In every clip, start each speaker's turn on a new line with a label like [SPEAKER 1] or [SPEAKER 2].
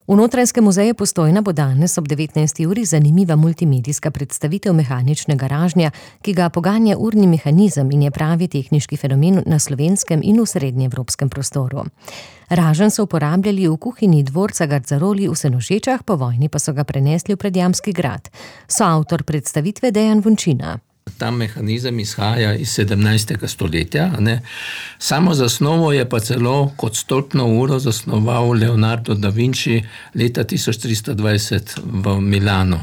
[SPEAKER 1] V Notranjskem muzeju Postojna bo danes ob 19. uri zanimiva multimedijska predstavitev mehaničnega ražnja, ki ga poganja urni mehanizem in je pravi tehniški fenomen na slovenskem in v srednjeevropskem prostoru. Raženj so uporabljali v kuhinji dvorca Gardzaroli v Senožečah, po vojni pa so ga prenesli v Predjamski grad. Soavtor predstavitve Dejan Vončina.
[SPEAKER 2] Ta mehanizem izhaja iz 17. stoletja. Samo zasnovo je pa celo kot stolpno uro zasnoval Leonardo da Vinci leta 1320 v Milano.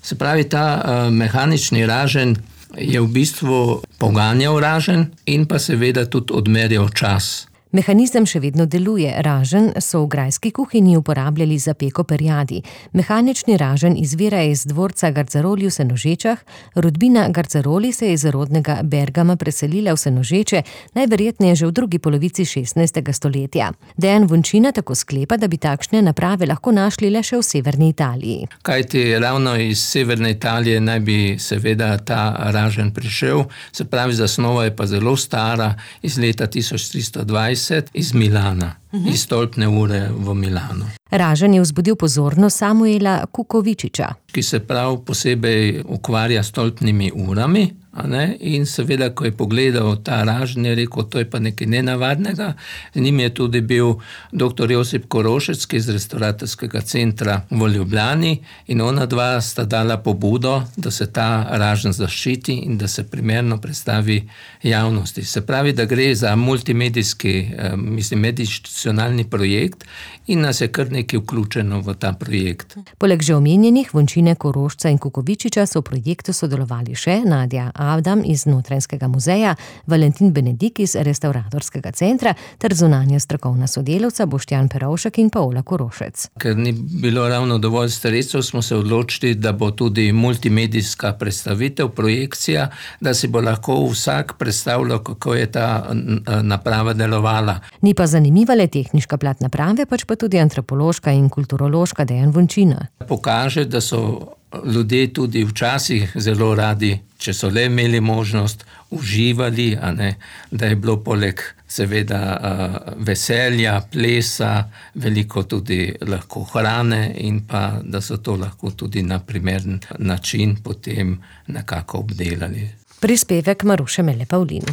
[SPEAKER 2] Se pravi, ta mehanični raženj je v bistvu poganjal raženj in pa seveda tudi odmerjal čas.
[SPEAKER 1] Mehanizem še vedno deluje. Raženj so v grajski kuhinji uporabljali za peko perjadi. Mehanični raženj izvira iz dvorca Gardzaroli v Senožečah. Rodbina Gardzaroli se je iz rodnega Bergama preselila v Senožeče, najverjetneje že v drugi polovici 16. stoletja. Dejan Vončina tako sklepa, da bi takšne naprave lahko našli le še v severni Italiji.
[SPEAKER 2] Kajti ravno iz severne Italije naj bi seveda ta raženj prišel. Se pravi, zasnova je pa zelo stara, iz leta 1320. Iz Milana, iz stolpne ure v Milano.
[SPEAKER 1] Raženj je vzbudil pozornost Samuela Kukovičiča,
[SPEAKER 2] ki se prav posebej ukvarja s stolpnimi urami, in seveda, ko je pogledal ta raženj, je rekel, to je pa nekaj nenavadnega. Z njim je tudi bil dr. Josip Korošec iz Restavratorskega centra v Ljubljani in ona dva sta dala pobudo, da se ta raženj zaščiti in da se primerno predstavi javnosti. Se pravi, da gre za multimedijski, medinstitucionalni projekt in nas je kar nekaj vključeno v ta projekt.
[SPEAKER 1] Poleg že omenjenih Vončine, Korošca in Kukovičiča so v projektu sodelovali še Nadja Avdam iz Notranjskega muzeja, Valentin Benedik iz Restavratorskega centra ter zunanja strokovna sodelavca Boštjan Perovšek in Paola Korošec.
[SPEAKER 2] Ker ni bilo ravno dovolj sredstev, smo se odločili, da bo tudi multimedijska predstavitev, projekcija, da si bo lahko vsak predstavljal, kako je ta naprava delovala.
[SPEAKER 1] Ni pa zanimiva le tehniška plat naprave, pač pa tudi antropološka in kulturološka. Dejan Vončina
[SPEAKER 2] pokaže, da so ljudje tudi včasih zelo radi, če so le imeli možnost, uživali, da je bilo poleg seveda veselja, plesa, veliko tudi lahko hrane in pa, da so to lahko tudi na primeren način potem nekako obdelali.
[SPEAKER 1] Prispevek Maruše Mele Pavlin.